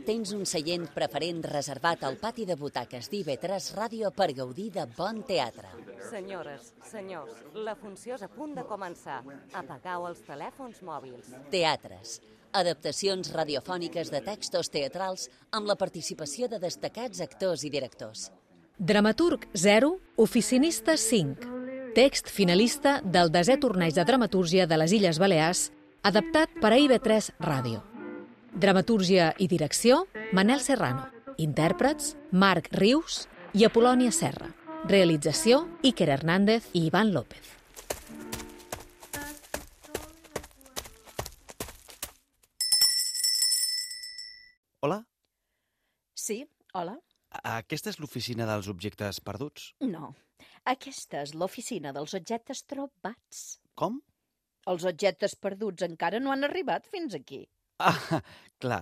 Tens un seient preferent reservat al pati de butaques d'IV3 Ràdio per gaudir de bon teatre. Senyores, senyors, la funció és a punt de començar. Apagueu els telèfons mòbils. Teatres. Adaptacions radiofòniques de textos teatrals amb la participació de destacats actors i directors. Dramaturg 0, oficinista 5. Text finalista del 10è torneig de dramatúrgia de les Illes Balears, adaptat per a IB3 Ràdio. Dramatúrgia i direcció, Manel Serrano. Intèrprets, Marc Rius i Apolònia Serra. Realització, Iker Hernández i Iván López. Hola? Sí, hola? Aquesta és l'oficina dels objectes perduts? No, aquesta és l'oficina dels objectes trobats. Com? Els objectes perduts encara no han arribat fins aquí. Ah, clar,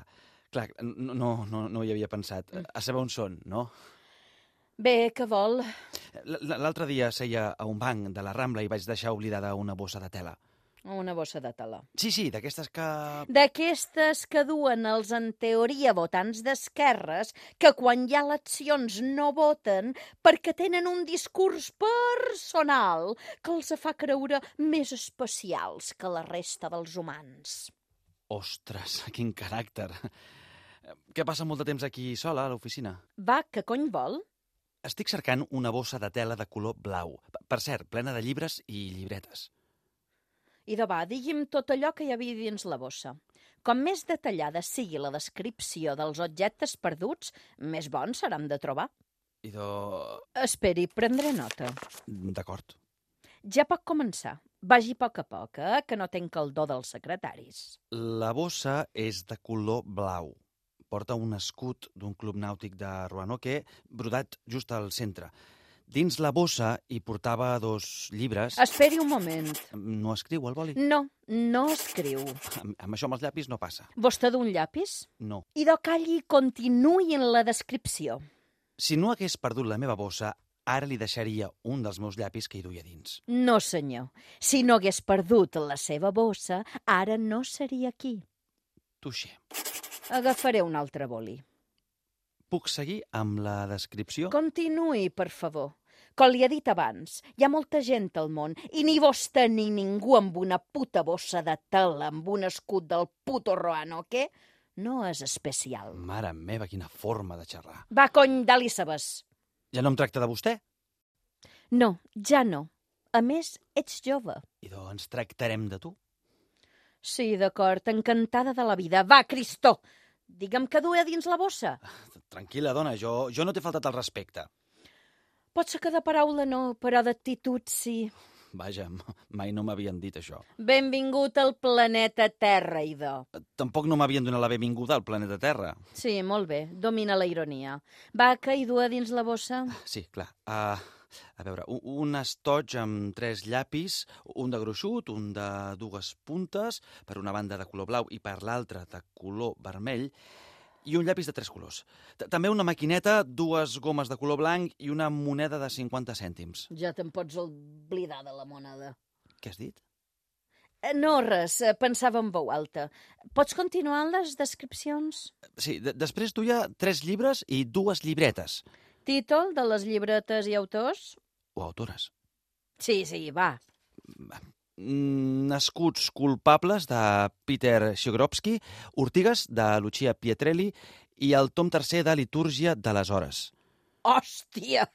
no hi havia pensat. A saber on són, no? Bé, què vol? L'altre dia seia a un banc de la Rambla i vaig deixar oblidada una bossa de tela. Una bossa de tela. Sí, d'aquestes que... D'aquestes que duen els, en teoria, votants d'esquerres, que quan hi ha eleccions no voten perquè tenen un discurs personal que els fa creure més especials que la resta dels humans. Ostres, quin caràcter. Què passa molt de temps aquí sola, a l'oficina? Va, què cony vol? Estic cercant una bossa de tela de color blau. Per cert, plena de llibres i llibretes. I de va, digui'm tot allò que hi havia dins la bossa. Com més detallada sigui la descripció dels objectes perduts, més bons seran de trobar. Esperi, prendré nota. D'acord. Ja pot començar. Vagi a poc, que no tenc el do dels secretaris. La bossa és de color blau. Porta un escut d'un club nàutic de Roanoke brodat just al centre. Dins la bossa hi portava 2 llibres... Esperi un moment. No escriu, el boli? No escriu. Amb això amb els llapis no passa. Vostè d'un llapis? No. I de calli continuï en la descripció. Si no hagués perdut la meva bossa, ara li deixaria un dels meus llapis que hi duia dins. No, senyor. Si no hagués perdut la seva bossa, ara no seria aquí. Touché. Agafaré un altre boli. Puc seguir amb la descripció? Continuï, per favor. Com li he dit abans, hi ha molta gent al món i ni vostè ni ningú amb una puta bossa de tela amb un escut del puto Roanoke no és especial. Mare meva, quina forma de xerrar. Va, cony, dali sabes. Ja no em tracta de vostè? No, ja no. A més, ets jove. I doncs tractarem de tu? Sí, d'acord, encantada de la vida. Va, Cristó! Digue'm què duia dins la bossa. Tranquil·la, dona, jo no t'he faltat el respecte. Pot ser que de paraula no, però d'actitud sí. Vaja, mai no m'havien dit això. Benvingut al planeta Terra, idò. Tampoc no m'havien donat la benvinguda al planeta Terra. Sí, molt bé, domina la ironia. Va, què hi duia dins la bossa? Sí, clar. A veure, un estoig amb 3 llapis, un de gruixut, un de 2 puntes, per una banda de color blau i per l'altra de color vermell, i un llapis de 3 colors. També una maquineta, 2 gomes de color blanc i una moneda de 50 cèntims. Ja te'n pots oblidar de la moneda. Què has dit? No, res, pensava en veu alta. Pots continuar amb les descripcions? Sí, després duia 3 llibres i 2 llibretes. Títol de les llibretes i autors? O autores. Sí, va. Nascuts culpables de Peter Chigrovsky, Ortigues de Lucia Pietrelli i el tom 3è de Litúrgia de les Hores. Hòstia!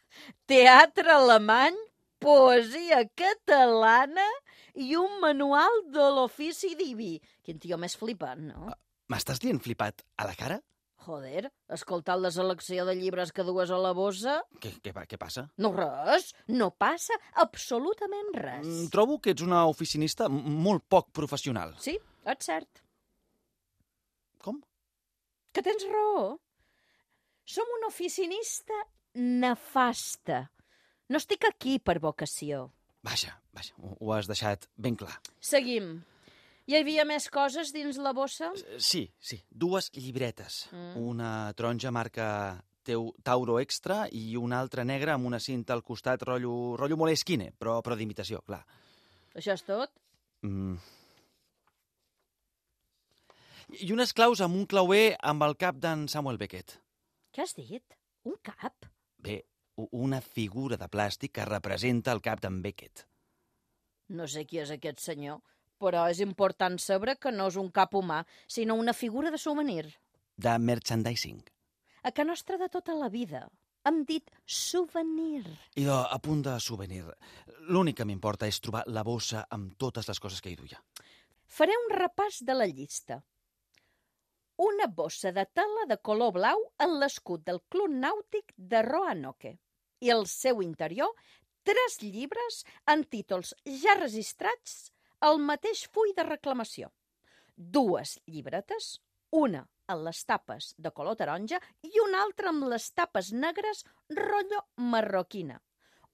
Teatre alemany, poesia catalana i un manual de l'ofici diví. Quin tio més flipant, no? M'estàs dient flipat a la cara? Joder, escoltant la selecció de llibres que dues a la bossa... Què passa? No, res. No passa absolutament res. Trobo que ets una oficinista molt poc professional. Sí, és cert. Com? Que tens raó. Som una oficinista nefasta. No estic aquí per vocació. Vaja, ho has deixat ben clar. Seguim. Hi havia més coses dins la bossa? Sí, 2 llibretes. Una taronja marca Tauro Extra i una altra negra amb una cinta al costat rotllo Moleskine, però d'imitació, clar. Això és tot? I unes claus amb un clauer amb el cap d'en Samuel Beckett. Què has dit? Un cap? Bé, una figura de plàstic que representa el cap d'en Beckett. No sé qui és aquest senyor, però és important saber que no és un cap humà, sinó una figura de souvenir. De merchandising. A ca nostra de tota la vida hem dit souvenir. Idò, a punt de souvenir. L'únic que m'importa és trobar la bossa amb totes les coses que hi duia. Faré un repàs de la llista. Una bossa de tela de color blau en l'escut del Club Nàutic de Roanoke i al seu interior 3 llibres amb títols ja registrats al mateix full de reclamació. 2 llibretes, una amb les tapes de color taronja i una altra amb les tapes negres rotllo marroquina.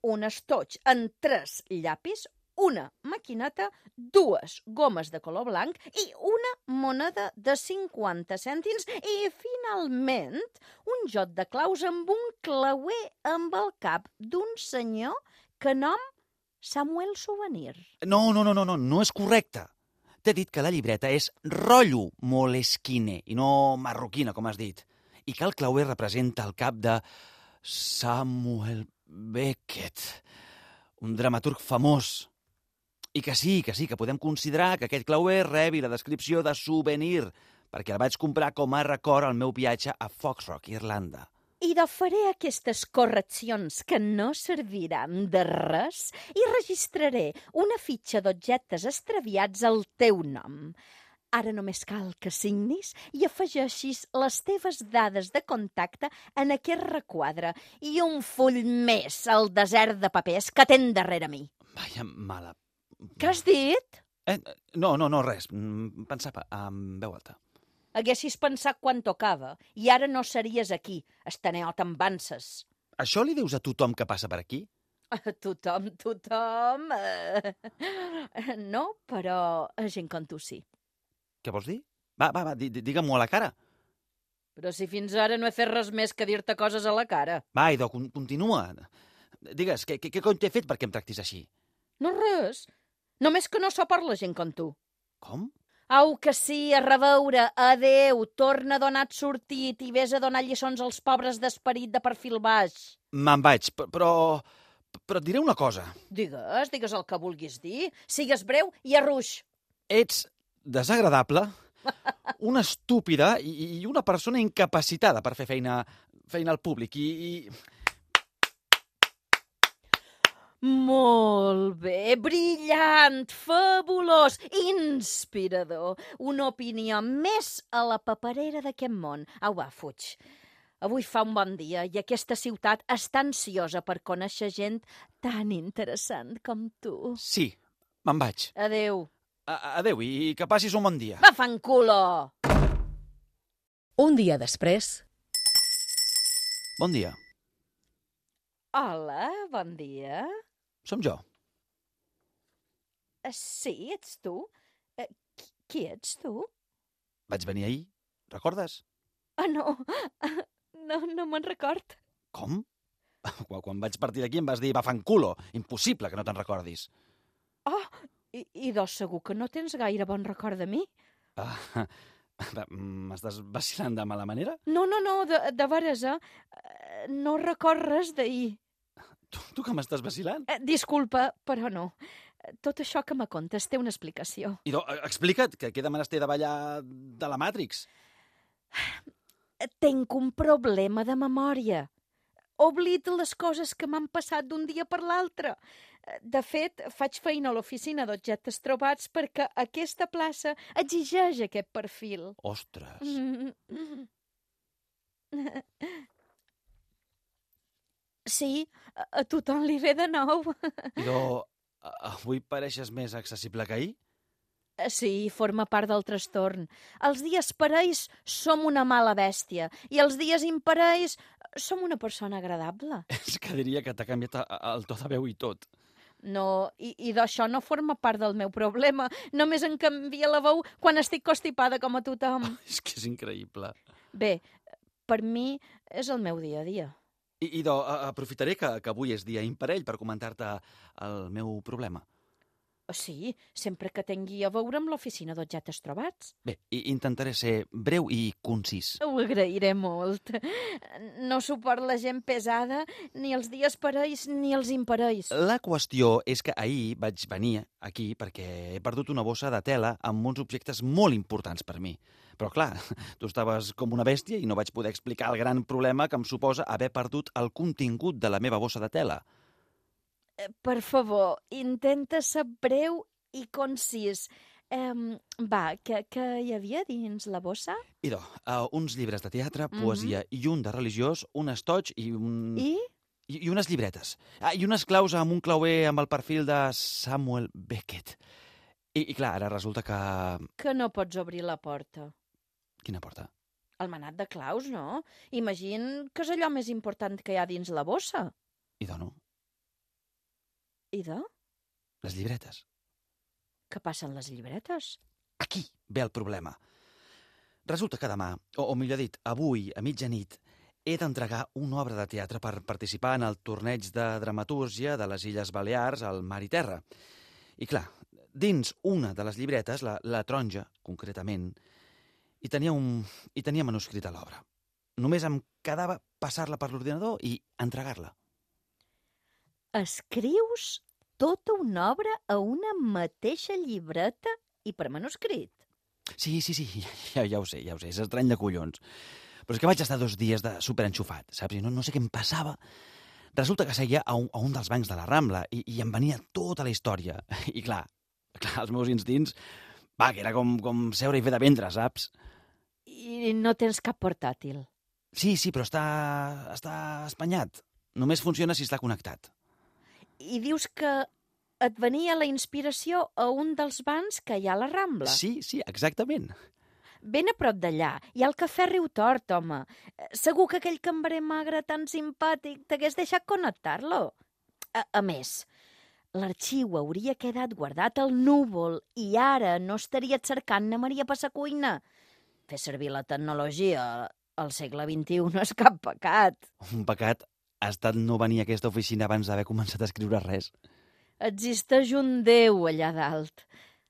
Un estoig amb 3 llapis, una maquineta, 2 gomes de color blanc i una moneda de 50 cèntims i, finalment, un joc de claus amb un clauer amb el cap d'un senyor que nom Samuel Souvenir. No és correcte. T'he dit que la llibreta és rotllo moleskine i no marroquina, com has dit. I que el clauer representa el cap de Samuel Beckett, un dramaturg famós. I que sí, que podem considerar que aquest clauer rebi la descripció de souvenir, perquè el vaig comprar com a record al meu viatge a Fox Rock, Irlanda. I de faré aquestes correccions que no serviran de res i registraré una fitxa d'objectes extraviats al teu nom. Ara només cal que signis i afegeixis les teves dades de contacte en aquest requadre i un full més al desert de papers que tens darrere mi. Vaja, mala... Què has dit? No, res. Pensava en veu alta. Haguessis pensat quan tocava i ara no series aquí, estaneot amb vances. Això li dius a tothom que passa per aquí? A tothom... No, però a gent com tu sí. Què vols dir? Va, digue-m'ho a la cara. Però si fins ara no he fet res més que dir-te coses a la cara. Va, idò, continua. Digues, què cony t'he fet perquè em tractis així? No res. Només que no so per la gent com tu. Com? Au, que sí, a reveure, adeu, torna a donar sortit i vés a donar lliçons als pobres d'esperit de perfil baix. Me'n vaig, però et diré una cosa. Digues el que vulguis dir. Sigues breu i arruix. Ets desagradable, una estúpida i una persona incapacitada per fer feina al públic i... Molt bé, brillant, fabulós, inspirador. Una opinió més a la paperera d'aquest món. Au, va, fuig. Avui fa un bon dia i aquesta ciutat està ansiosa per conèixer gent tan interessant com tu. Sí, me'n vaig. Adeu. Adeu i que passis un bon dia. Va, fanculo! Un dia després... Bon dia. Hola, bon dia. Som jo. Sí, ets tu? Qui ets tu? Vaig venir ahir, recordes? No me'n record. Com? Quan vaig partir d'aquí em vas dir, va, fanculo, impossible que no te'n recordis. I segur que no tens gaire bon record de mi? M'estàs vacilant de mala manera? No, de veres, no record res d'ahir. Tu que m'estàs vacilant? Disculpa, però no. Tot això que me contes té una explicació. Idò, explica't, que queda menester de ballar de la Matrix. Tenc un problema de memòria. Oblido les coses que m'han passat d'un dia per l'altre. De fet, faig feina a l'oficina d'objectes trobats perquè aquesta plaça exigeix aquest perfil. Ostres. Sí, a tothom li ve de nou. Idò, avui pareixes més accessible que ahir? Sí, forma part del trastorn. Els dies parells som una mala bèstia i els dies imparells som una persona agradable. És que diria que t'ha canviat el to de veu i tot. No, i d'això no forma part del meu problema. Només em canvia la veu quan estic constipada com a tothom. És que és increïble. Bé, per mi és el meu dia a dia. Idò, aprofitaré que avui és dia imparell per comentar-te el meu problema. Sí, sempre que tingui a veure amb l'oficina d'objectes trobats. Bé, intentaré ser breu i concís. Ho agrairé molt. No suport la gent pesada, ni els dies parells ni els imparells. La qüestió és que ahir vaig venir aquí perquè he perdut una bossa de tela amb uns objectes molt importants per mi. Però, clar, tu estaves com una bèstia i no vaig poder explicar el gran problema que em suposa haver perdut el contingut de la meva bossa de tela. Per favor, intenta ser breu i concís. Va, què hi havia dins la bossa? Idò, uns llibres de teatre, poesia i un de religiós, un estoig i un... I unes llibretes. I unes claus amb un clauer amb el perfil de Samuel Beckett. I clar, ara resulta que... Que no pots obrir la porta. Quina porta? El manat de claus, no? Imagina que és allò més important que hi ha dins la bossa. Idò, no? Idò? Les llibretes. Què passa amb les llibretes? Aquí ve el problema. Resulta que demà, o millor dit, avui, a mitjanit, he d'entregar una obra de teatre per participar en el torneig de dramatúrgia de les Illes Balears al Mar i Terra. I clar, dins una de les llibretes, la taronja, concretament, hi tenia manuscrit a l'obra. Només em quedava passar-la per l'ordinador i entregar-la. Escrius tota una obra a una mateixa llibreta i per manuscrit? Sí, ja ho sé, és estrany de collons. Però és que vaig estar 2 dies de superenxufat, saps? I no sé què em passava. Resulta que seia a un dels bancs de la Rambla i em venia tota la història. I clar, els meus instints, que era com seure i fer de ventre, saps? I no tens cap portàtil? Sí, però està espanyat. Només funciona si està connectat. I dius que et venia la inspiració a un dels bancs que hi ha a la Rambla? Sí, exactament. Ben a prop d'allà. Hi ha el cafè Riu Tort, home. Segur que aquell cambrer magre tan simpàtic t'hagués deixat connectar-lo. A més, l'arxiu hauria quedat guardat al núvol i ara no estaria cercant-ne Maria per sa cuina. Fer servir la tecnologia al segle XXI no és cap pecat. Un pecat ha estat no venir a aquesta oficina abans d'haver començat a escriure res. Existeix un déu allà dalt.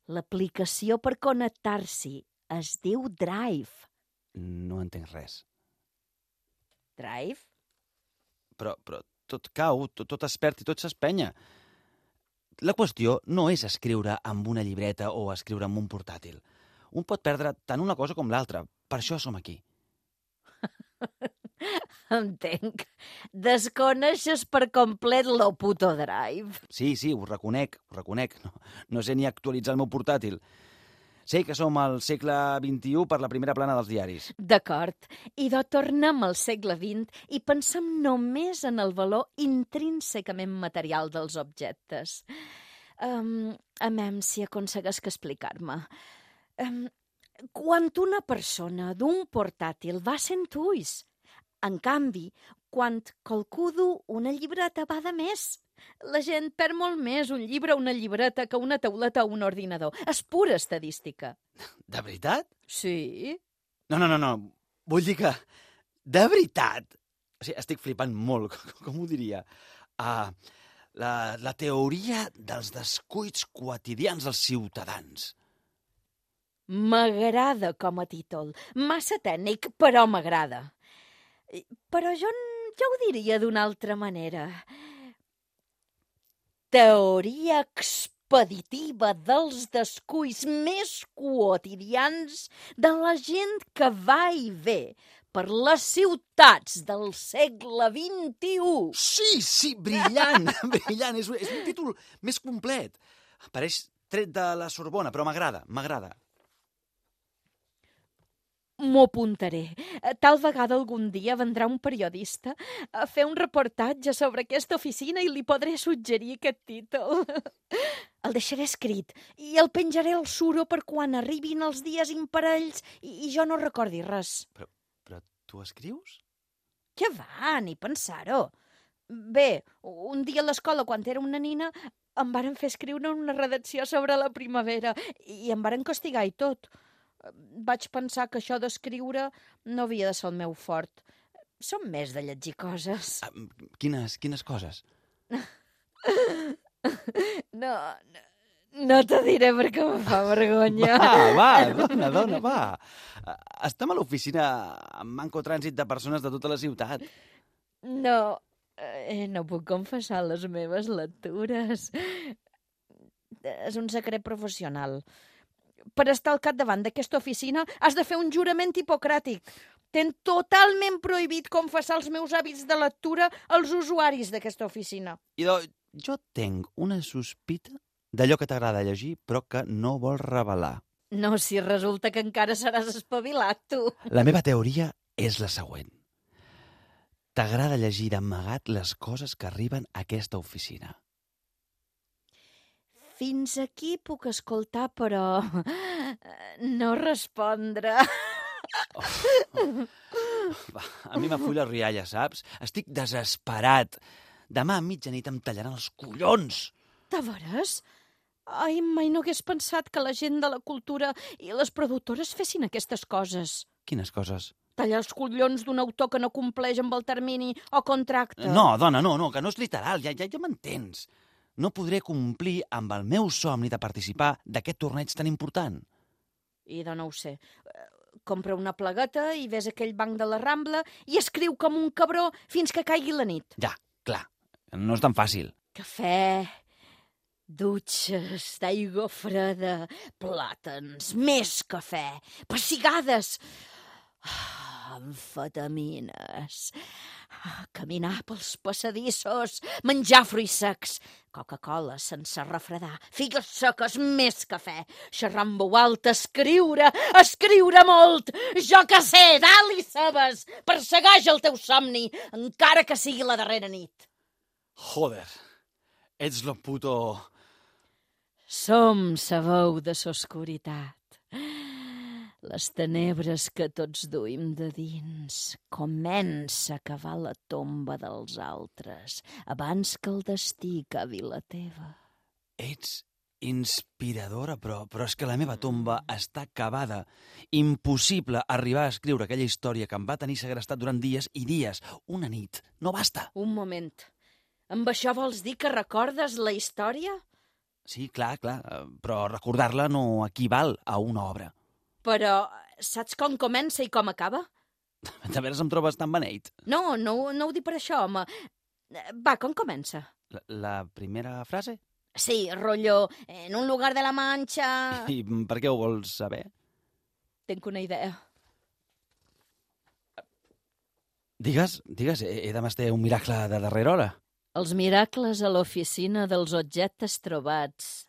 L'aplicació per connectar-s'hi es diu Drive. No entenc res. Drive? Però tot cau, tot es perd i tot s'espenya. La qüestió no és escriure amb una llibreta o escriure amb un portàtil. Un pot perdre tant una cosa com l'altra. Per això som aquí. Entenc. Desconeixes per complet lo puto Drive. Sí, ho reconec. No sé ni actualitzar el meu portàtil. Sé que som al segle XXI per la primera plana dels diaris. D'acord. Idò, tornem al segle XX i pensem només en el valor intrínsecament material dels objectes. Si aconsegueix que explicar-me. Quan una persona d'un portàtil va sent ulls, en canvi, quan qualcú du una llibreta va de més. La gent perd molt més un llibre o una llibreta que una tauleta o un ordinador. És pura estadística. De veritat? Sí. No. Vull dir que... De veritat? O sigui, estic flipant molt, com ho diria? La teoria dels descuits quotidians dels ciutadans. M'agrada com a títol. Massa tècnic, però m'agrada. Però jo ho diria d'una altra manera. Teoria expeditiva dels descuits més quotidians de la gent que va i ve per les ciutats del segle XXI. Sí, brillant, brillant. És un títol més complet. Pareix tret de la Sorbona, però m'agrada. M'ho apuntaré. Tal vegada algun dia vendrà un periodista a fer un reportatge sobre aquesta oficina i li podré suggerir aquest títol. El deixaré escrit i el penjaré al suro per quan arribin els dies imparells i jo no recordi res. Però tu escrius? Què va, ni pensar-ho. Bé, un dia a l'escola, quan era una nina, em varen fer escriure una redacció sobre la primavera i em varen castigar i tot. Vaig pensar que això d'escriure no havia de ser el meu fort. Som més de llegir coses. Quines coses? No te diré perquè me fa vergonya. Dona, va. Estem a l'oficina amb manco trànsit de persones de tota la ciutat. No, no puc confessar les meves lectures. És un secret professional. Per estar al capdavant d'aquesta oficina has de fer un jurament hipocràtic. Ten totalment prohibit confessar els meus hàbits de lectura als usuaris d'aquesta oficina. Idò, jo tinc una sospita d'allò que t'agrada llegir però que no vols revelar. No, si resulta que encara seràs espavilat, tu. La meva teoria és la següent. T'agrada llegir d'amagat les coses que arriben a aquesta oficina. Fins aquí puc escoltar, però no respondre. Va, a mi m'afulla la rialla, saps? Estic desesperat. Demà a mitjanit em tallaran els collons. De veres? Ai, mai no hagués pensat que la gent de la cultura i les productores fessin aquestes coses. Quines coses? Tallar els collons d'un autor que no compleix amb el termini o contracte. No, dona, no, que no és literal, ja m'entens. No podré complir amb el meu somni de participar d'aquest torneig tan important. I de no ho sé. Compra una plagueta i ves aquell banc de la Rambla i escriu com un cabró fins que caigui la nit. Ja, clar, no és tan fàcil. Cafè, dutxes d'aigua freda, plàtans, més cafè, pessigades, amfetamines, caminar pels passadissos, menjar fruits secs, Coca-Cola sense refredar, figues seques, més cafè, xerrar en veu alta, escriure molt, jo que sé, dalt i cebes, persegueix el teu somni, encara que sigui la darrera nit. Joder, ets lo puto... Som sa veu de s'oscuritat. Les tenebres que tots duim de dins. Comença a cavar la tomba dels altres abans que el destí cavi la teva. Ets inspiradora, però és que la meva tomba està cavada. Impossible arribar a escriure aquella història que em va tenir segrestat durant dies i dies. Una nit. No basta. Un moment. Amb això vols dir que recordes la història? Sí, clar, però recordar-la no equival a una obra. Però saps com comença i com acaba? De veres em trobes tan beneit? No ho dic per això, home. Va, com comença? La primera frase? Sí, rotllo, en un lugar de la Manxa... I per què ho vols saber? Tinc una idea. Digues, he de mestre un miracle de darrera hora. Els miracles a l'oficina dels objectes trobats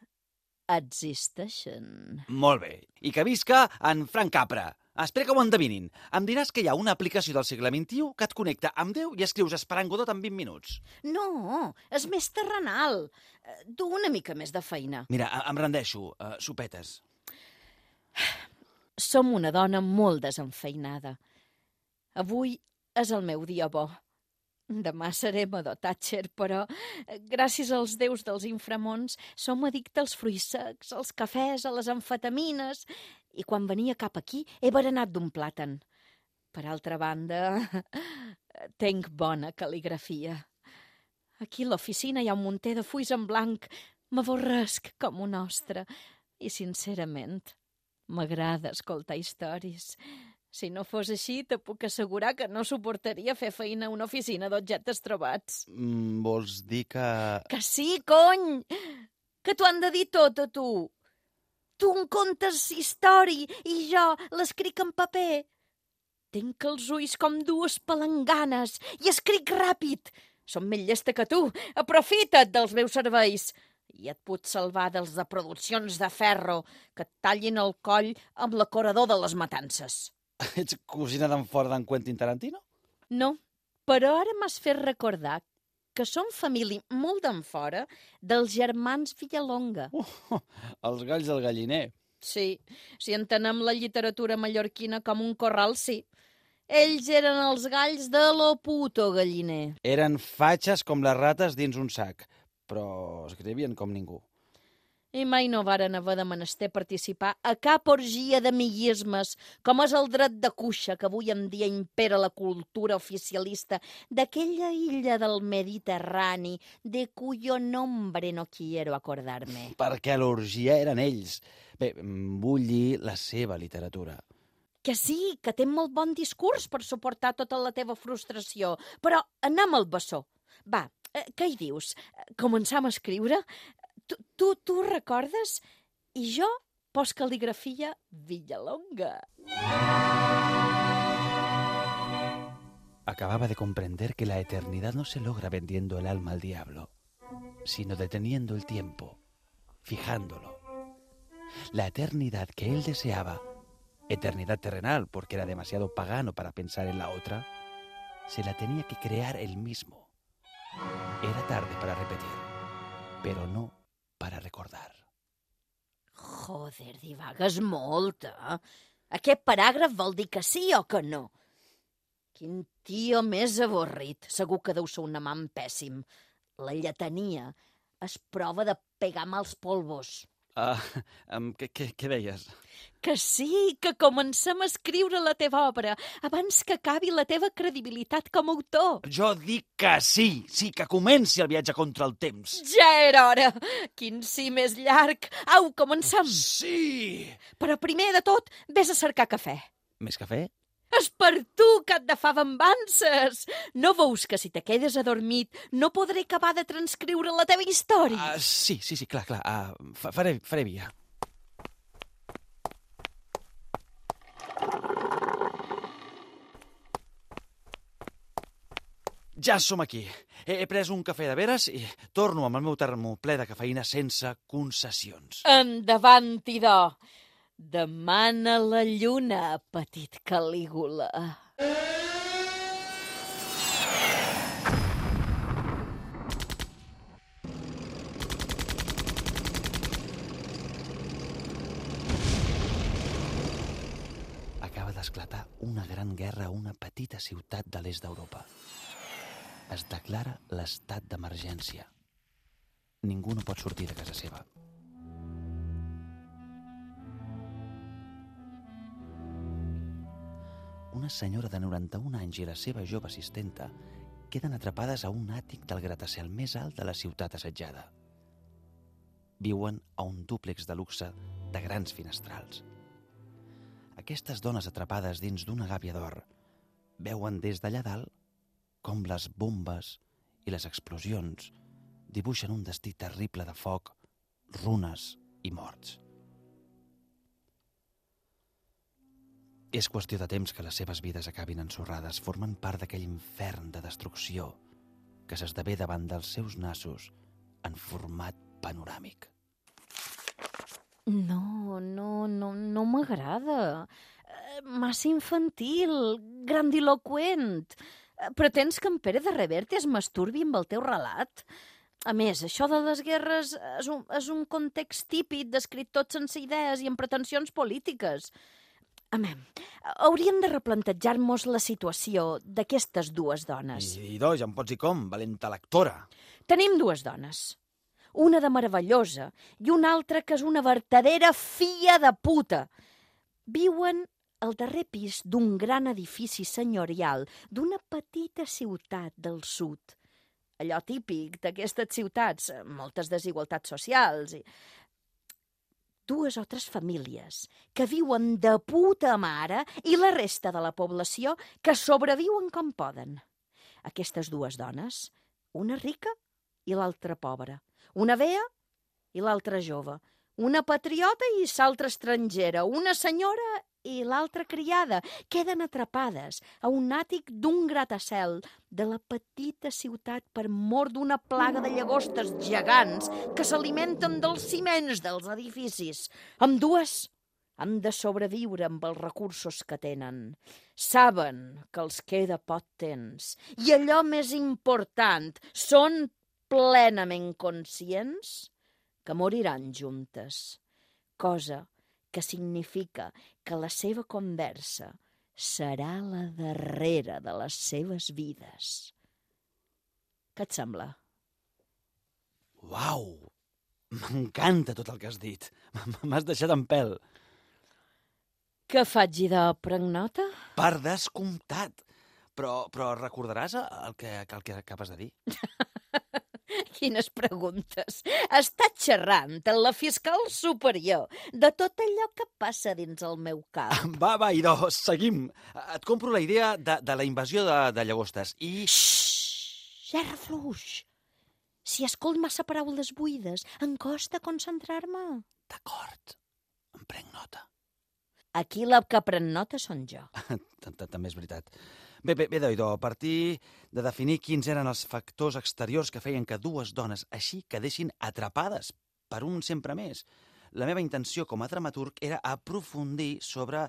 existeixen. Molt bé. I que visca en Frank Capra. Espera que ho endevinin. Em diràs que hi ha una aplicació del segle XXI que et connecta amb Déu i escrius Esperant Godot en 20 minuts. No, és més terrenal. Du una mica més de feina. Mira, em rendeixo. Sopetes. Som una dona molt desenfeinada. Avui és el meu dia bo. Demà seré Madó Thatcher, però gràcies als déus dels inframons som addictes als fruits secs, als cafès, a les amfetamines, i quan venia cap aquí he berenat d'un plàtan. Per altra banda, tenc bona cal·ligrafia. Aquí a l'oficina hi ha un munter de fulls en blanc, m'avorresc com un ostre, i sincerament m'agrada escoltar històries. Si no fos així, te puc assegurar que no suportaria fer feina a una oficina d'objectes trobats. Vols dir que... Que sí, cony! Que t'ho han de dir tot a tu. Tu em contes història i jo l'escric en paper. Tinc els ulls com dues palanganes i escric ràpid. Som més llesta que tu. Aprofita't dels meus serveis. I et puc salvar dels de produccions de ferro que et tallin el coll amb l'acorador de les matances. Ets cosina d'en fora d'en Quentin Tarantino? No, però ara m'has fet recordar que som família molt d'en fora dels germans Villalonga. Els galls del galliner. Sí, si entenem la literatura mallorquina com un corral, sí. Ells eren els galls de lo puto galliner. Eren fatxes com les rates dins un sac, però escrivien com ningú. I mai no varen haver de menester participar a cap orgia d'amiguismes, com és el dret de cuixa que avui en dia impera la cultura oficialista d'aquella illa del Mediterrani de cuyo nombre no quiero acordarme. Perquè l'orgia eren ells. Bé, vull dir la seva literatura. Que sí, que té molt bon discurs per suportar tota la teva frustració, però anem al bessó. Va, què hi dius? Començam a escriure? Tu recordes? I jo postcaligrafia Villalonga. Acababa de comprender que la eternidad no se logra vendiendo el alma al diablo, sino deteniendo el tiempo, fijándolo. La eternidad que él deseaba, eternidad terrenal porque era demasiado pagano para pensar en la otra, se la tenía que crear él mismo. Era tarde para repetir, pero no para recordar. Joder, divagues molt, eh? Aquest paràgraf vol dir que sí o que no? Quin tio més avorrit. Segur que deu ser un amant pèssim. La lletania és prova de pegar mals polvos. Què deies? Que sí, que comencem a escriure la teva obra abans que acabi la teva credibilitat com a autor. Jo dic que sí, que comenci el viatge contra el temps. Ja era hora! Quin sí més llarg! Au, comencem! Sí! Però primer de tot, vés a cercar cafè. Més cafè? És per tu que et de fa bambances! No veus que si te quedes adormit no podré acabar de transcriure la teva història? Sí, clar. Faré via. Ja som aquí. He pres un cafè de veres i torno amb el meu termo ple de cafeïna sense concessions. Endavant, idò! Demana la lluna, petit Calígula. Acaba d'esclatar una gran guerra a una petita ciutat de l'est d'Europa. Es declara l'estat d'emergència. Ningú no pot sortir de casa seva. Una senyora de 91 anys i la seva jove assistenta queden atrapades a un àtic del gratacel més alt de la ciutat assetjada. Viuen a un dúplex de luxe de grans finestrals. Aquestes dones atrapades dins d'una gàbia d'or veuen des d'allà dalt com les bombes i les explosions dibuixen un destí terrible de foc, runes i morts. És qüestió de temps que les seves vides acabin ensorrades, formen part d'aquell infern de destrucció que s'esdevé davant dels seus nassos en format panoràmic. No m'agrada. Massa infantil, grandiloquent. Pretens que en Pere de Reverte es masturbi amb el teu relat? A més, això de les guerres és un context típic d'escriptors sense idees i amb pretensions polítiques. Hauríem de replantejar-nos la situació d'aquestes dues dones. I ja em pots dir com, valenta lectora. Tenim dues dones. Una de meravellosa i una altra que és una vertadera filla de puta. Viuen al darrer pis d'un gran edifici senyorial d'una petita ciutat del sud. Allò típic d'aquestes ciutats, moltes desigualtats socials i... Dues o tres famílies que viuen de puta mare i la resta de la població que sobreviuen com poden. Aquestes dues dones, una rica i l'altra pobra, una vea i l'altra jove, una patriota i l'altra estrangera, una senyora i l'altra criada, queden atrapades a un àtic d'un gratacel de la petita ciutat per mor d'una plaga de llagostes gegants que s'alimenten dels ciments dels edificis. Ambdues han de sobreviure amb els recursos que tenen. Saben que els queda poc temps i allò més important, són plenament conscients que moriran juntes, cosa que significa que la seva conversa serà la darrera de les seves vides. Què et sembla? Uau! M'encanta tot el que has dit. M'has deixat en pèl. Que faig de pregnota? Per descomptat. Però recordaràs el que acabes de dir? Quines preguntes. Està xerrant amb la fiscal superior de tot allò que passa dins el meu cap. Va, idò, seguim. Et compro la idea de la invasió de llagostes i... Xxxt, gerra fluix. Si escolt massa paraules buides, em costa concentrar-me. D'acord, em prenc nota. Aquí la que pren nota són jo. També és veritat. Bé, Doidó, a partir de definir quins eren els factors exteriors que feien que dues dones així quedessin atrapades per un sempre més, la meva intenció com a dramaturg era aprofundir sobre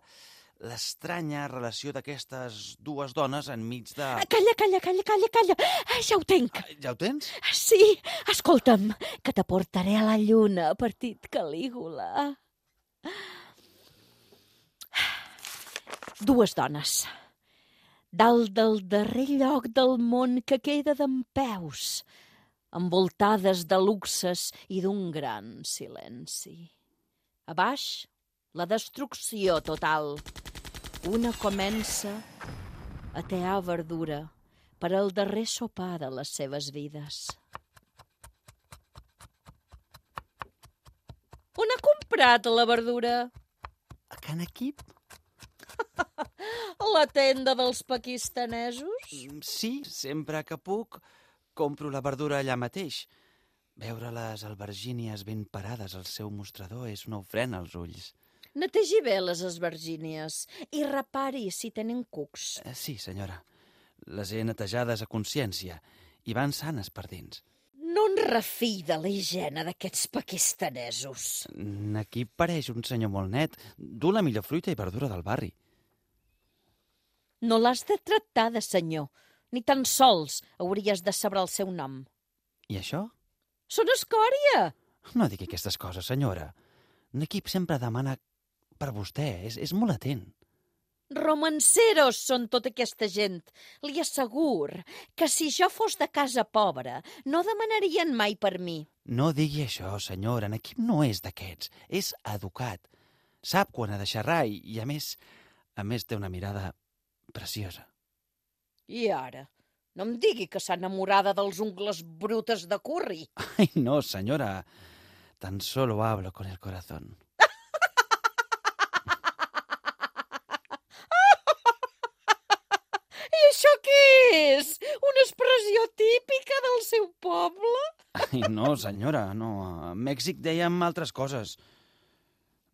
l'estranya relació d'aquestes dues dones enmig de... Calla. Ja ho tenc. Ja ho tens? Sí, escolta'm, que t'aportaré a la lluna, partit Calígula. Dues dones. Dalt del darrer lloc del món que queda dempeus, envoltades de luxes i d'un gran silenci. A baix, la destrucció total. Una comença a tear verdura per al darrer sopar de les seves vides. On ha comprat la verdura? A Can Equip? A la tenda dels pakistanesos? Sí, sempre que puc, compro la verdura allà mateix. Veure les albergínies ben parades al seu mostrador és una ofrena als ulls. Netegi bé les esvergínies i repari si tenen cucs. Sí, senyora. Les he netejades a consciència i van sanes per dins. No en refiï de la higiene d'aquests pakistanesos. Aquí pareix un senyor molt net. Du la millor fruita i verdura del barri. No l'has de tractar de senyor, ni tan sols hauries de saber el seu nom. I això? Són escòria! No digui aquestes coses, senyora. N'Equip sempre demana per vostè. És molt atent. Romanceros són tota aquesta gent. Li assegur que si jo fos de casa pobra no demanarien mai per mi. No digui això, senyora. N'Equip no és d'aquests. És educat. Sap quan ha de xerrar i a més té una mirada preciosa. I ara? No em digui que s'ha enamorada dels ungles brutes de curri. Ai, no, senyora. Tan solo hablo con el corazón. I això què és? Una expressió típica del seu poble? Ai, no, senyora, no. A Mèxic dèiem altres coses.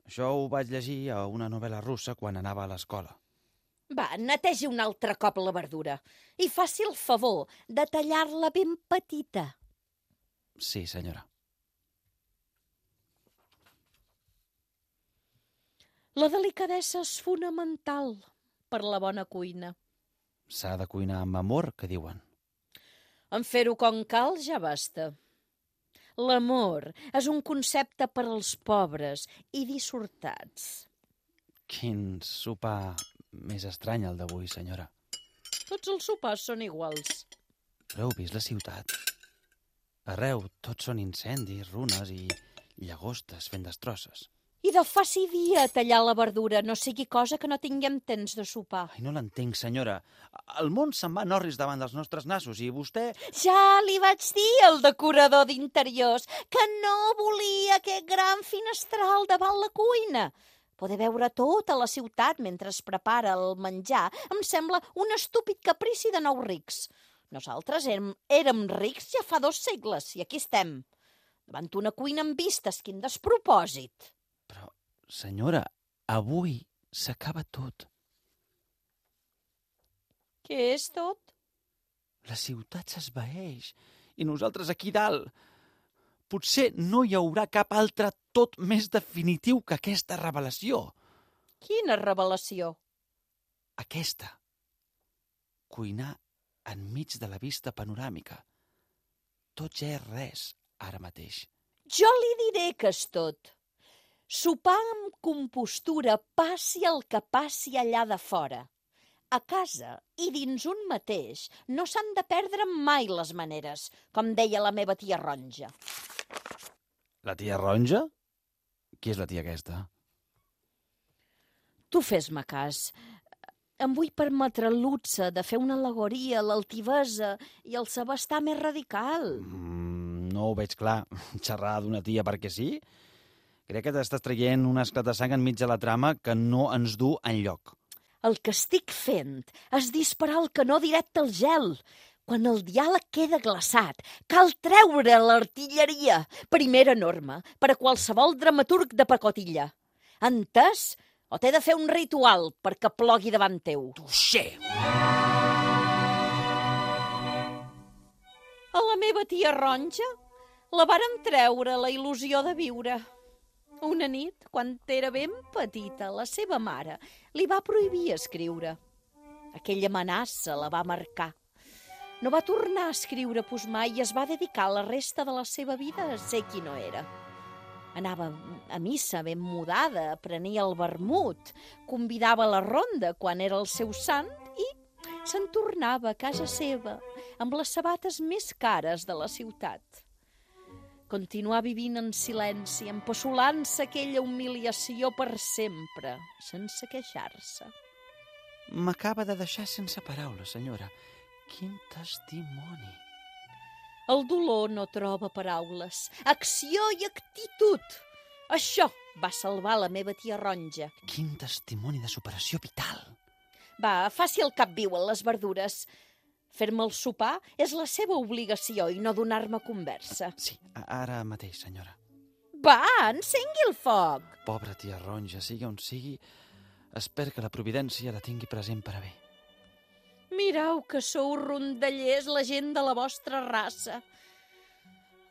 Això ho vaig llegir a una novel·la russa quan anava a l'escola. Va, netegi un altre cop la verdura i faci el favor de tallar-la ben petita. Sí, senyora. La delicadesa és fonamental per la bona cuina. S'ha de cuinar amb amor, que diuen. En fer-ho com cal ja basta. L'amor és un concepte per als pobres i dissortats. Quin sopar més estrany el d'avui, senyora. Tots els sopars són iguals. Però heu vist la ciutat? Arreu tots són incendis, runes i llagostes fent destrosses. I de faci dia a tallar la verdura, no sigui cosa que no tinguem temps de sopar. Ai, no l'entenc, senyora. El món se'n va en orris davant dels nostres nassos i vostè... Ja li vaig dir al decorador d'interiors que no volia aquest gran finestral davant la cuina. Poder veure tota la ciutat mentre es prepara el menjar em sembla un estúpid caprici de nous rics. Nosaltres érem rics ja fa 2 segles i aquí estem, davant una cuina amb vistes, quin despropòsit. Però, senyora, avui s'acaba tot. Què és tot? La ciutat s'esvaeix i nosaltres aquí dalt. Potser no hi haurà cap altre tot més definitiu que aquesta revelació. Quina revelació? Aquesta. Cuinar enmig de la vista panoràmica. Tot ja és res, ara mateix. Jo li diré que és tot. Sopar amb compostura passi el que passi allà de fora. A casa i dins un mateix no s'han de perdre mai les maneres, com deia la meva tia Ronja. La tia Ronja? Qui és la tia aquesta? Tu fes-me cas. Em vull permetre el luxe de fer una al·legoria a l'altivesa i el saber estar més radical. No ho veig clar. Xerrar d'una tia perquè sí? Crec que t'estàs traient un esclat de sang enmig de la trama que no ens du enlloc. El que estic fent és disparar el canó directe al gel. Quan el diàleg queda glaçat, cal treure l'artilleria. Primera norma per a qualsevol dramaturg de pacotilla. Entès? O t'he de fer un ritual perquè plogui davant teu? Tuixer! A la meva tia Ronja la varen treure la il·lusió de viure. Una nit, quan era ben petita, la seva mare li va prohibir escriure. Aquella amenaça la va marcar. No va tornar a escriure mai i es va dedicar la resta de la seva vida a ser qui no era. Anava a missa ben mudada, prenia el vermut, convidava a la ronda quan era el seu sant i se'n tornava a casa seva amb les sabates més cares de la ciutat. Continuar vivint en silenci, empassolant-se aquella humiliació per sempre, sense queixar-se. M'acaba de deixar sense paraules, senyora. Quin testimoni! El dolor no troba paraules. Acció i actitud. Això va salvar la meva tia Ronja. Quin testimoni de superació vital! Va, faci el cap viu en les verdures. Fer-me el sopar és la seva obligació i no donar-me conversa. Sí, ara mateix, senyora. Va, encengui el foc. Pobra tia Ronja, sigui on sigui, espero que la providència la tingui present per a bé. Mireu que sou rondallers, la gent de la vostra raça.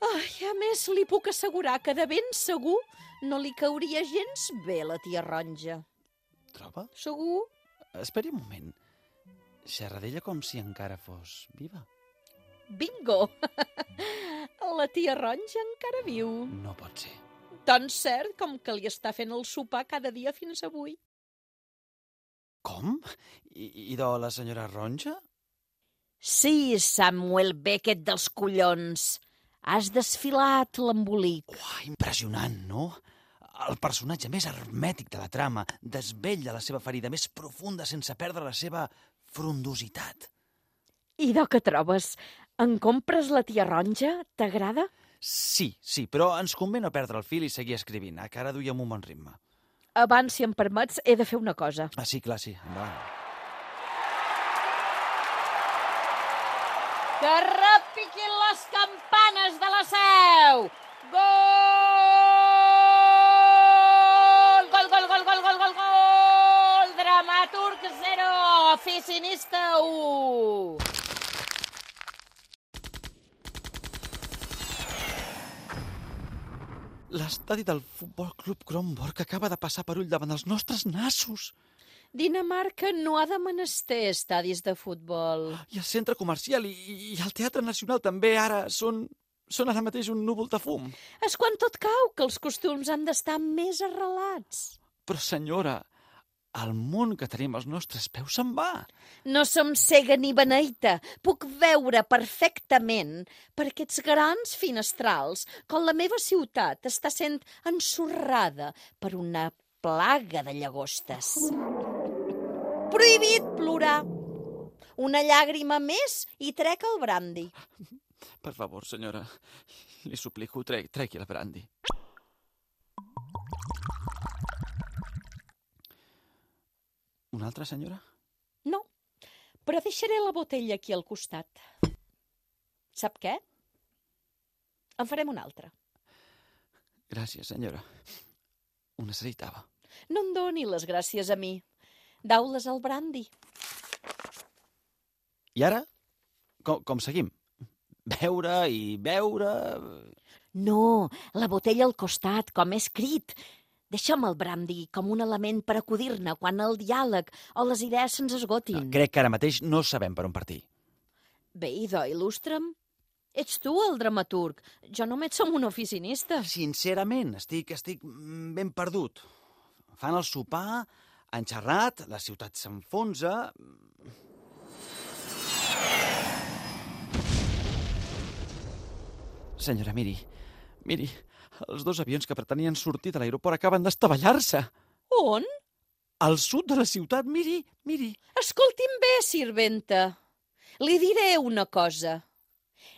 Ai, a més, li puc assegurar que de ben segur no li cauria gens bé la tia Ronja. Troba? Segur? Esperi un moment. Xerra d'ella com si encara fos viva. Bingo! La tia Ronja encara viu. No pot ser. Tan cert com que li està fent el sopar cada dia fins avui. Com? I de la senyora Ronja? Sí, Samuel Beckett dels collons. Has desfilat l'embolic. Uah, impressionant, no? El personatge més hermètic de la trama desvetlla la seva ferida més profunda sense perdre la seva frondositat. I de què trobes? En compres la tia Ronja? T'agrada? Sí, però ens convé no perdre el fil i seguir escrivint, que ara duiem un bon ritme. Abans, si em permets, he de fer una cosa. Ah, sí, clar, sí, endavant. Que repiquin les campanes de la Seu! Gol! Gol, gol, gol, gol, gol, gol, gol! Dramaturg 0, oficinista 1. L'estadi del Futbol Club Kronborg acaba de passar per ull davant els nostres nassos. Dinamarca no ha de menester estadis de futbol. I el centre comercial i el Teatre Nacional també ara són ara mateix un núvol de fum. És quan tot cau que els costums han d'estar més arrelats. Però, senyora, el món que tenim als nostres peus se'n va. No som cega ni beneita. Puc veure perfectament per aquests grans finestrals com la meva ciutat està sent ensorrada per una plaga de llagostes. Prohibit plorar. Una llàgrima més i trec el brandi. Per favor, senyora, li suplico, tregui el brandi. Una altra, senyora? No, però deixaré la botella aquí al costat. Sap què? En farem una altra. Gràcies, senyora. Ho necessitava. No em doni les gràcies a mi. Dau-les al brandi. I ara? Com seguim? Beure i beure... No, la botella al costat, com he escrit. Deixa'm el brandi com un element per acudir-ne quan el diàleg o les idees se'ns esgotin. Crec que ara mateix no sabem per on partir. Bé, idò, il·lustra'm. Ets tu el dramaturg. Jo només som un oficinista. Sincerament, estic ben perdut. Fan el sopar, han xerrat, la ciutat s'enfonsa... Senyora, miri, Els 2 avions que pretenien sortir de l'aeroport acaben d'estavellar-se. On? Al sud de la ciutat, miri. Escolti'm bé, sirventa. Li diré una cosa.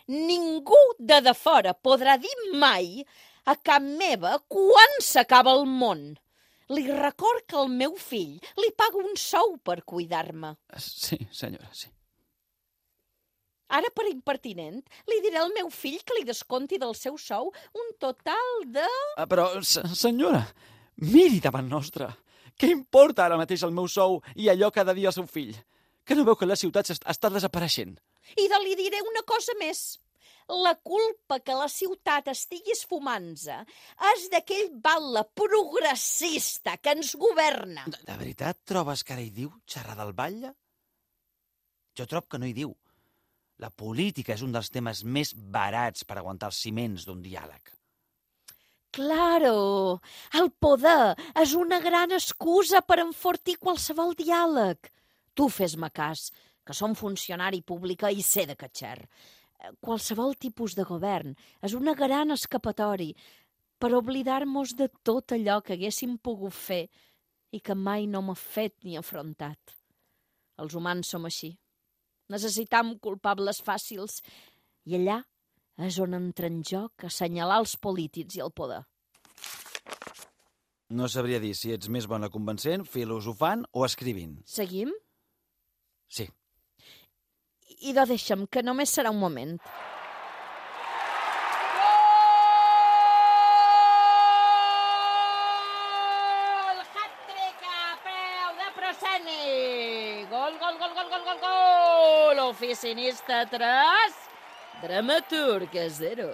Ningú de fora podrà dir mai a cap meva quan s'acaba el món. Li record que el meu fill li paga un sou per cuidar-me. Sí, senyora, sí. Ara, per impertinent, li diré al meu fill que li desconti del seu sou un total de... Però, senyora, miri davant nostre. Què importa ara mateix el meu sou i allò que ha de dir al seu fill? Que no veu que la ciutat està desapareixent? I li diré una cosa més. La culpa que la ciutat estigui esfumant-se és d'aquell batle progressista que ens governa. De veritat trobes que ara hi diu xerrar del batlle? Jo trobo que no hi diu. La política és un dels temes més barats per aguantar els ciments d'un diàleg. Claro, el poder és una gran excusa per enfortir qualsevol diàleg. Tu fes-me cas, que som funcionari pública i sé de catxer. Qualsevol tipus de govern és una gran escapatori per oblidar-nos de tot allò que haguéssim pogut fer i que mai no m'ha fet ni afrontat. Els humans som així. Necessitam culpables fàcils i allà és on entra en joc assenyalar els polítics i el poder. No sabria dir si ets més bona convencent, filosofant o escrivint. Seguim? Sí. Idò, deixa'm, que només serà un moment. Gol! Hat-trick a peu de proscènic! Gol! Oficinista 3, dramaturg 0.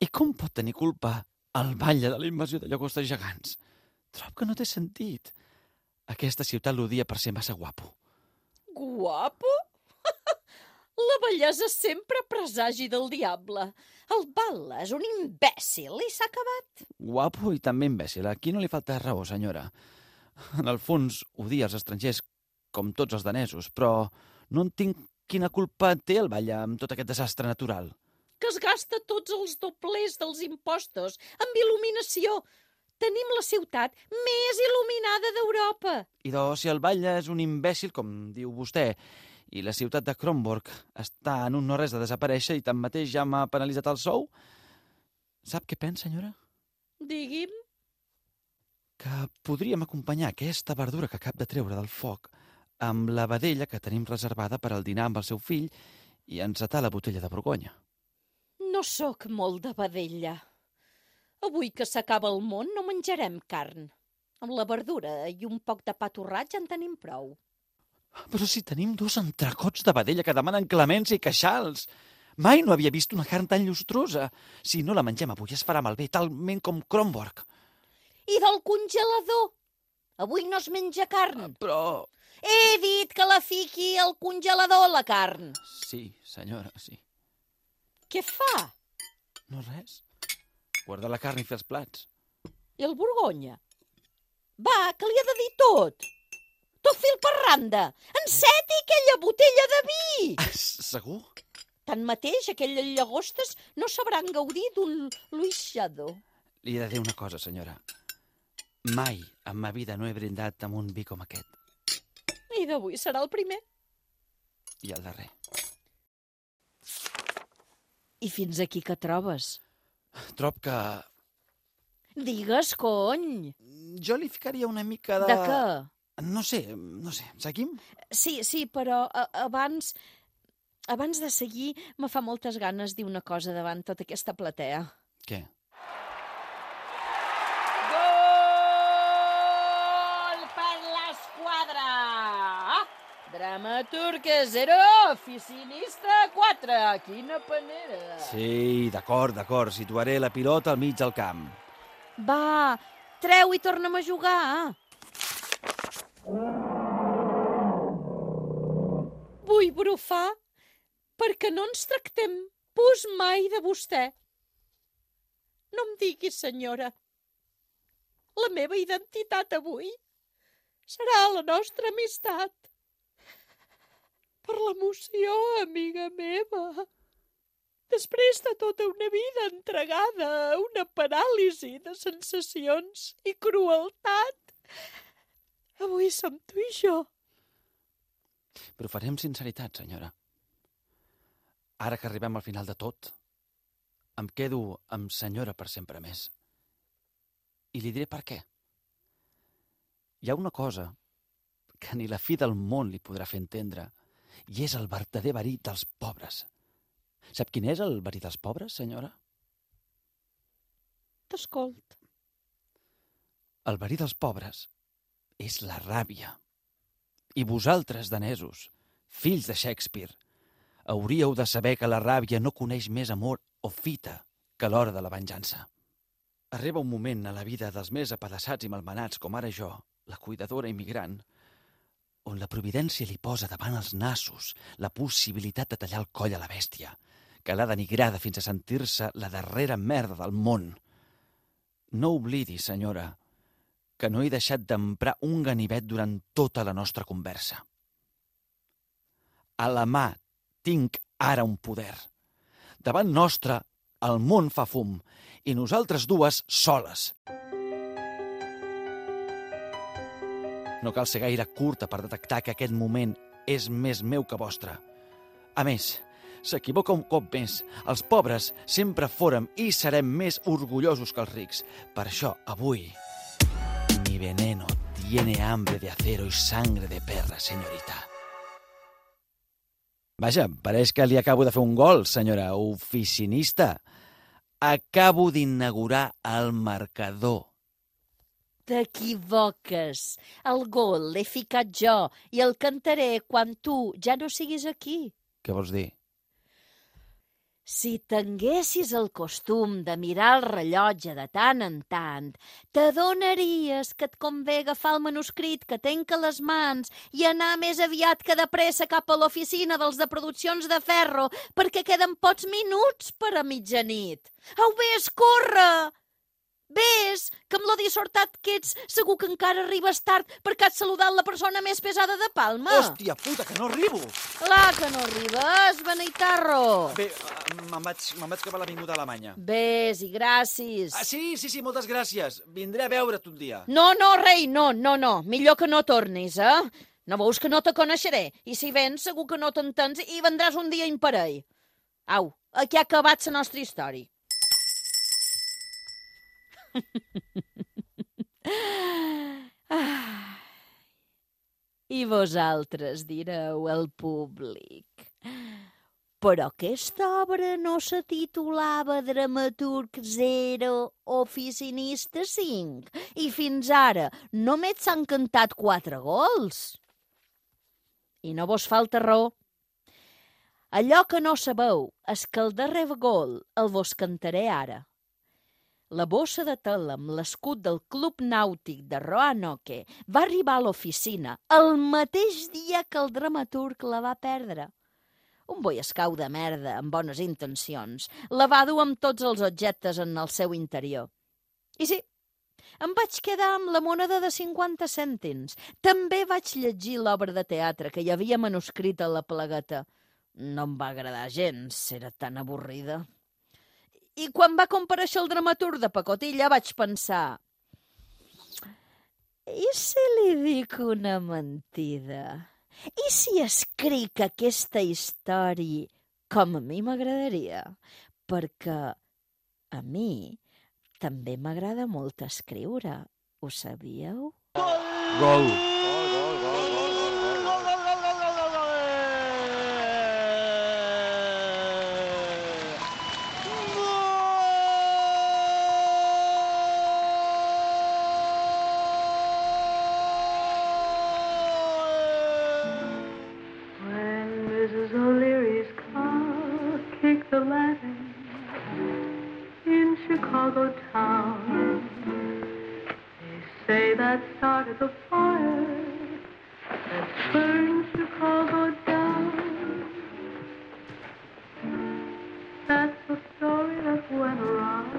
I com pot tenir culpa el batlle de la invasió de llagostes gegants? Trobo que no té sentit. Aquesta ciutat l'odia per ser massa guapo. Guapo? La bellesa sempre presagi del diable. El batle és un imbècil i s'ha acabat. Guapo i també imbècil. Aquí no li falta raó, senyora. En el fons, odia els estrangers com tots els danesos, però no entenc quina culpa té el batlle amb tot aquest desastre natural. Que es gasta tots els doblers dels impostos amb il·luminació. Tenim la ciutat més il·luminada d'Europa. Idò, si el batlle és un imbècil, com diu vostè, i la ciutat de Kronborg està en un no-res de desaparèixer i tanmateix ja m'ha penalitzat el sou, sap què pensa, senyora? Digui'm. Que podríem acompanyar aquesta verdura que acaba de treure del foc amb la vedella que tenim reservada per al dinar amb el seu fill i encetar la botella de Borgonya. No sóc molt de vedella. Avui que s'acaba el món no menjarem carn. Amb la verdura i un poc de pa torrat ja en tenim prou. Però si tenim 2 entrecots de vedella que demanen clemència i queixals. Mai no havia vist una carn tan llustrosa. Si no la mengem avui es farà malbé, talment com Kronborg. I del congelador? Avui no es menja carn. Però... He dit que la fiqui al congelador, la carn. Sí, senyora, sí. Què fa? No res. Guarda la carn i fer els plats. I el Borgonya? Va, que li ha de dir tot. Tot fil per randa. Enceti aquella botella de vi. Segur? Tanmateix, aquelles llagostes no sabran gaudir d'un luixador. Li he de dir una cosa, senyora. Mai en ma vida no he brindat amb un vi com aquest. I d'avui serà el primer. I el darrer. I fins aquí que trobes? Trob que... Digues, cony. Jo li ficaria una mica de... De què? No sé. Seguim? Sí, però abans de seguir me fa moltes ganes dir una cosa davant tota aquesta platea. Què? Gol per l'esquadra! Dramaturg 0, oficinista 4. Quina panera! Sí, d'acord. Situaré la pilota al mig del camp. Va, treu i torna'm a jugar. Vull brufar perquè no ens tractem pus mai de vostè. No em digui, senyora. La meva identitat avui serà la nostra amistat. Per l'emoció, amiga meva. Després de tota una vida entregada a una paràlisi de sensacions i crueltat, avui som tu i jo. Però farem sinceritat, senyora. Ara que arribem al final de tot, em quedo amb senyora per sempre més. I li diré per què. Hi ha una cosa que ni la fi del món li podrà fer entendre, i és el verdader verí dels pobres. Sap quin és el verí dels pobres, senyora? T'escolt. El verí dels pobres és la ràbia. I vosaltres, danesos, fills de Shakespeare, hauríeu de saber que la ràbia no coneix més amor o fita que l'hora de la venjança. Arriba un moment a la vida dels més apedaçats i malmenats, com ara jo, la cuidadora immigrant, on la providència li posa davant els nassos la possibilitat de tallar el coll a la bèstia, que l'ha denigrada fins a sentir-se la darrera merda del món. No oblidi, senyora, que no he deixat d'emprar un ganivet durant tota la nostra conversa. A la mà tinc ara un poder. Davant nostre, el món fa fum, i nosaltres dues soles. No cal ser gaire curta per detectar que aquest moment és més meu que vostre. A més, s'equivoca un cop més. Els pobres sempre fórem i serem més orgullosos que els rics. Per això, avui, mi veneno tiene hambre de acero y sangre de perra, señorita. Vaja, pareix que li acabo de fer un gol, senyora oficinista. Acabo d'inaugurar el marcador. T'equivoques. El gol l'he ficat jo i el cantaré quan tu ja no siguis aquí. Què vols dir? Si tinguessis el costum de mirar el rellotge de tant en tant, t'adonaries que et convé agafar el manuscrit que tenc a les mans i anar més aviat que de pressa cap a l'oficina dels de produccions de ferro, perquè queden pocs minuts per a mitjanit. Au, vés, corre! Vés, que amb lo dissortat que ets segur que encara arribes tard perquè has saludat la persona més pesada de Palma. Hòstia puta, que no arribo! Clar que no arribes, beneitarro. Bé, me'n vaig cap a l'avinguda Alemanya. Vés i gràcies. Sí, moltes gràcies. Vindré a veure't un dia. No, rei, no. Millor que no tornis, eh? No veus que no te coneixeré? I si vens, segur que no t'entens i vendràs un dia imparell. Au, aquí ha acabat la nostra història. I vosaltres direu al públic, però aquesta obra no se titulava Dramaturg 0, Oficinista 5, i fins ara només s'han cantat 4 gols. I no vos falta raó. Allò que no sabeu és que el darrer gol el vos cantaré ara. La bossa de tela amb l'escut del Club Nàutic de Roanoke va arribar a l'oficina el mateix dia que el dramaturg la va perdre. Un boi escau de merda, amb bones intencions, la va dur amb tots els objectes en el seu interior. I sí, em vaig quedar amb la moneda de 50 cèntims. També vaig llegir l'obra de teatre que hi havia manuscrita a la plagueta. No em va agradar gens, era tan avorrida. I quan va comparèixer el dramaturg de pacotilla vaig pensar, i si li dic una mentida? I si escric aquesta història com a mi m'agradaria? Perquè a mi també m'agrada molt escriure, ho sabíeu? Gol! Chicago town. They say that started the fire that burned Chicago down. That's the story that went around.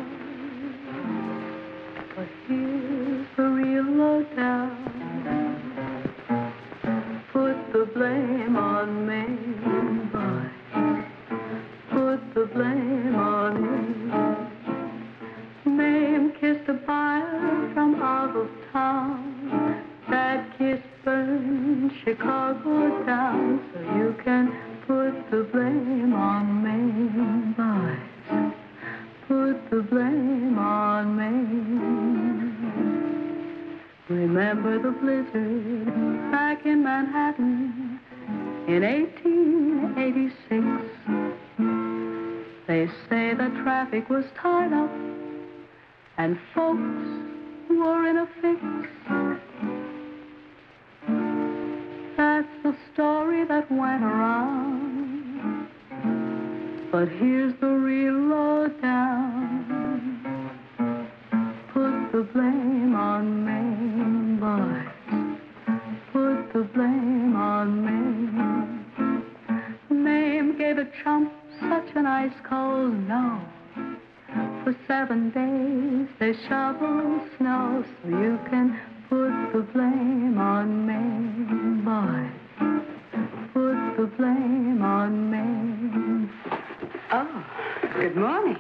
But here's the real lowdown. Put the blame on me, boy. Put the blame low down so you can put the blame on me, boys. Put the blame on me. Remember the blizzard back in Manhattan in 1886. They say the traffic was tied up and folks were in a fix. That's the story that went around, but here's the real lowdown. Put the blame on me, boys. Put the blame on me. Mame gave a chump such an ice-cold no. For 7 days they shoveled snow, so you can put the blame on me, boys. Put the blame on me. Oh, good morning.